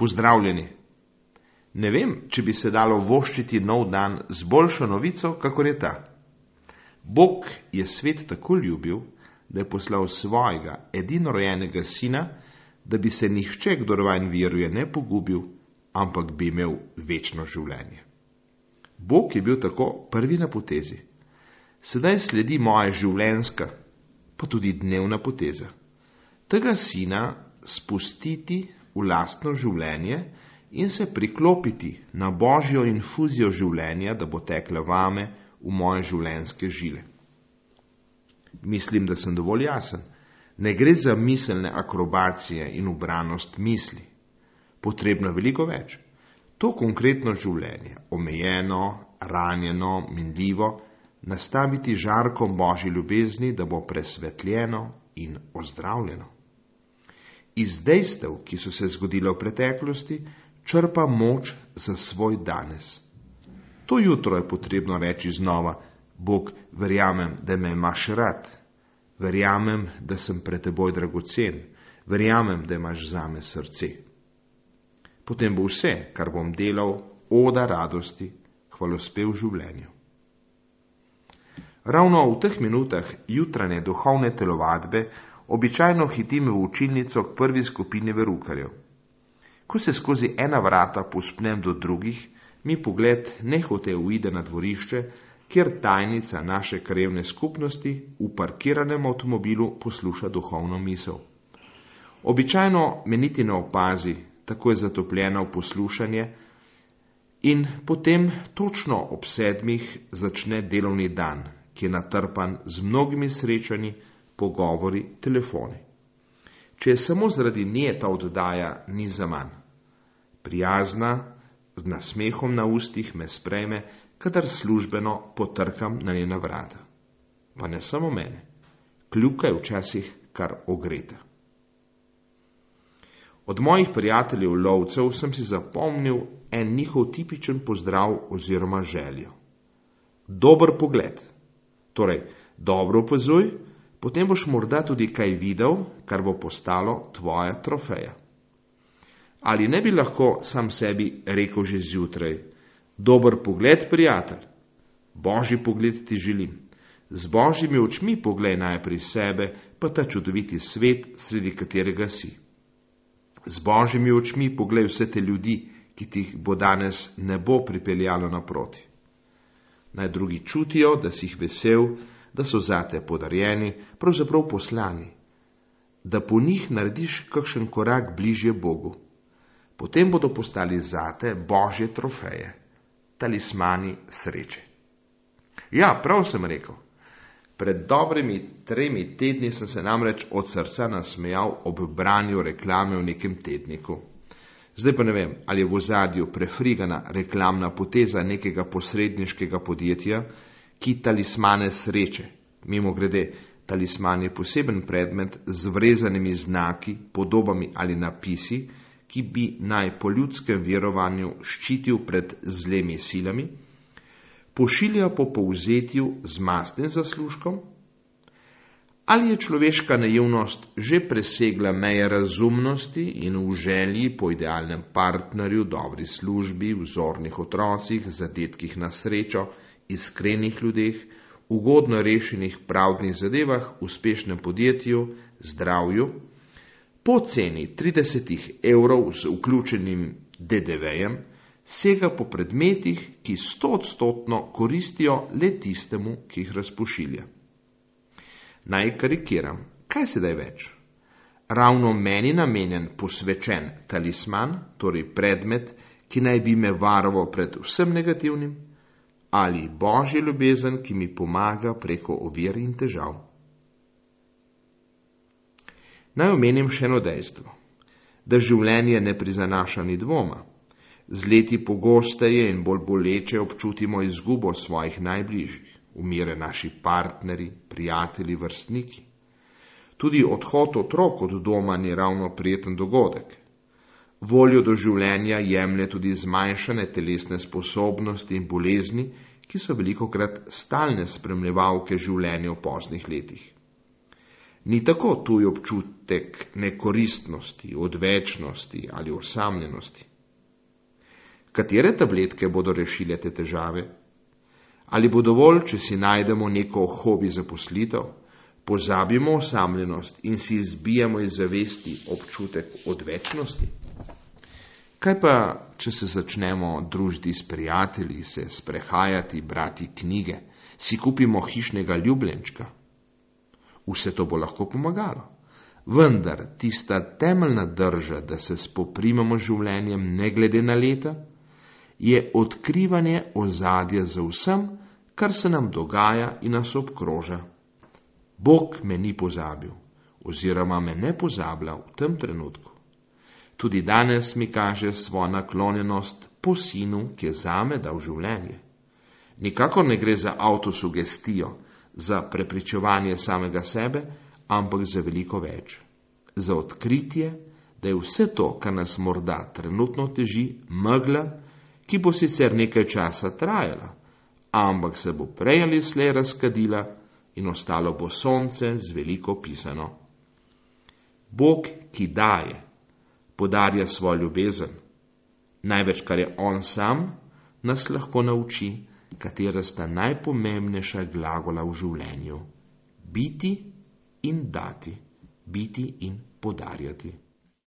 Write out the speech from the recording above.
Pozdravljeni. Ne vem, če bi se dalo voščiti nov dan z boljšo novico, kakor je ta. Bog je svet tako ljubil, da je poslal svojega edinorojenega sina, da bi se nihče, kdor vanj veruje, ne pogubil, ampak bi imel večno življenje. Bog je bil tako prvi na potezi. Sedaj sledi moja življenjska, pa tudi dnevna poteza. Tega sina spustiti v lastno življenje in se priklopiti na božjo infuzijo življenja, da bo tekla vame v moje življenjske žile. Mislim, da sem dovolj jasen. Ne gre za miselne akrobacije in ubranost misli. Potrebno je veliko več. To konkretno življenje, omejeno, ranjeno, minljivo, nastaviti žarkom božji ljubezni, da bo presvetljeno in ozdravljeno. Iz dejstev, ki so se zgodile v preteklosti, črpa moč za svoj danes. To jutro je potrebno reči znova: Bog, verjamem, da me imaš rad, verjamem, da sem pred teboj dragocen, verjamem, da imaš zame srce. Potem bo vse, kar bom delal, oda radosti, hvalospev življenju. Ravno v teh minutah jutranje duhovne telovadbe običajno hitim v učilnico k prvi skupini verukarjev. Ko se skozi ena vrata povzpnem do drugih, mi pogled nehote uide na dvorišče, kjer tajnica naše krajevne skupnosti v parkiranem avtomobilu posluša duhovno misel. Običajno me niti ne opazi, tako je zatopljena v poslušanje, in potem točno ob 7 začne delovni dan, ki je natrpan z mnogimi srečanji, pogovori, telefoni. Če je samo zaradi nje ta oddaja, ni za manj. Prijazna, z nasmehom na ustih me sprejme, kadar službeno potrkam na njena vrata. Pa ne samo mene, kljuka je včasih kar ogreta. Od mojih prijateljev lovcev sem si zapomnil en njihov tipičen pozdrav oziroma željo. Dober pogled, torej dobro opazuj, potem boš morda tudi kaj videl, kar bo postalo tvoja trofeja. Ali ne bi lahko sam sebi rekel že zjutraj: dober pogled, prijatelj, božji pogled ti želim. Z božjimi očmi poglej najprej sebe, pa ta čudoviti svet, sredi katerega si. Z božjimi očmi poglej vse te ljudi, ki ti bo danes ne bo pripeljalo naproti. Naj drugi čutijo, da si jih vesel, da so zate podarjeni, pravzaprav poslani, da po njih narediš kakšen korak bližje Bogu. Potem bodo postali zate božje trofeje, talismani sreče. Ja, prav sem rekel. Pred dobrimi 3 tedni sem se namreč od srca nasmejal ob branju reklame v nekem tedniku. Zdaj pa ne vem, ali je v ozadju prefrigana reklamna poteza nekega posredniškega podjetja, ki talismane sreče. Mimogrede, talisman je poseben predmet z vrezanimi znaki, podobami ali napisi, ki bi naj po ljudskem verovanju ščitil pred zlemi silami, pošilja po povzetju z mastnim zaslužkom? Ali je človeška naivnost že presegla meje razumnosti in v želji po idealnem partnerju, dobri službi, vzornih otrocih, zadetkih na srečo, iskrenih ljudeh, ugodno rešenih pravdnih zadevah, uspešnem podjetju, zdravju, po ceni 30 € z vključenim DDV-jem, sega po predmetih, ki 100% koristijo le tistemu, ki jih razpošilja. Naj karikiram, kaj sedaj več? Ravno meni namenjen posvečen talisman, torej predmet, ki naj bi me varoval pred vsem negativnim, ali božja ljubezen, ki mi pomaga preko ovir in težav. Naj omenim še eno dejstvo, da življenje ne prizanaša ni dvoma. Z leti pogosteje in bolj boleče občutimo izgubo svojih najbližjih, umire naši partneri, prijatelji, vrstniki. Tudi odhod otrok od doma ni ravno prijeten dogodek. Voljo do življenja jemlje tudi zmanjšane telesne sposobnosti in bolezni, ki so velikokrat stalne spremljevalke življenja v poznih letih. Ni tako tuj občutek nekoristnosti, odvečnosti ali osamljenosti. Katere tabletke bodo rešile te težave? Ali bo dovolj, če si najdemo neko hobi zaposlitev, pozabimo osamljenost in si izbijamo iz zavesti občutek odvečnosti? Kaj pa, če se začnemo družiti s prijatelji, se sprehajati, brati knjige, si kupimo hišnega ljubljenčka? Vse to bo lahko pomagalo. Vendar tista temeljna drža, da se spoprimemo z življenjem ne glede na leta, je odkrivanje ozadja za vsem, kar se nam dogaja in nas obkroža. Bog me ni pozabil, oziroma me ne pozablja v tem trenutku. Tudi danes mi kaže svojo naklonjenost po sinu, ki je zame dal življenje. Nikakor ne gre za avtosugestijo, za prepričevanje samega sebe, ampak za veliko več. Za odkritje, da je vse to, kar nas morda trenutno teži, megla, ki bo sicer nekaj časa trajala, ampak se bo prej ali slej razkadila in ostalo bo sonce z veliko pisano. Bog, ki daje, podarja svojo ljubezen. Največ, kar je on sam, nas lahko nauči, katera sta najpomembnejša glagola v življenju. Biti in dati, biti in podarjati.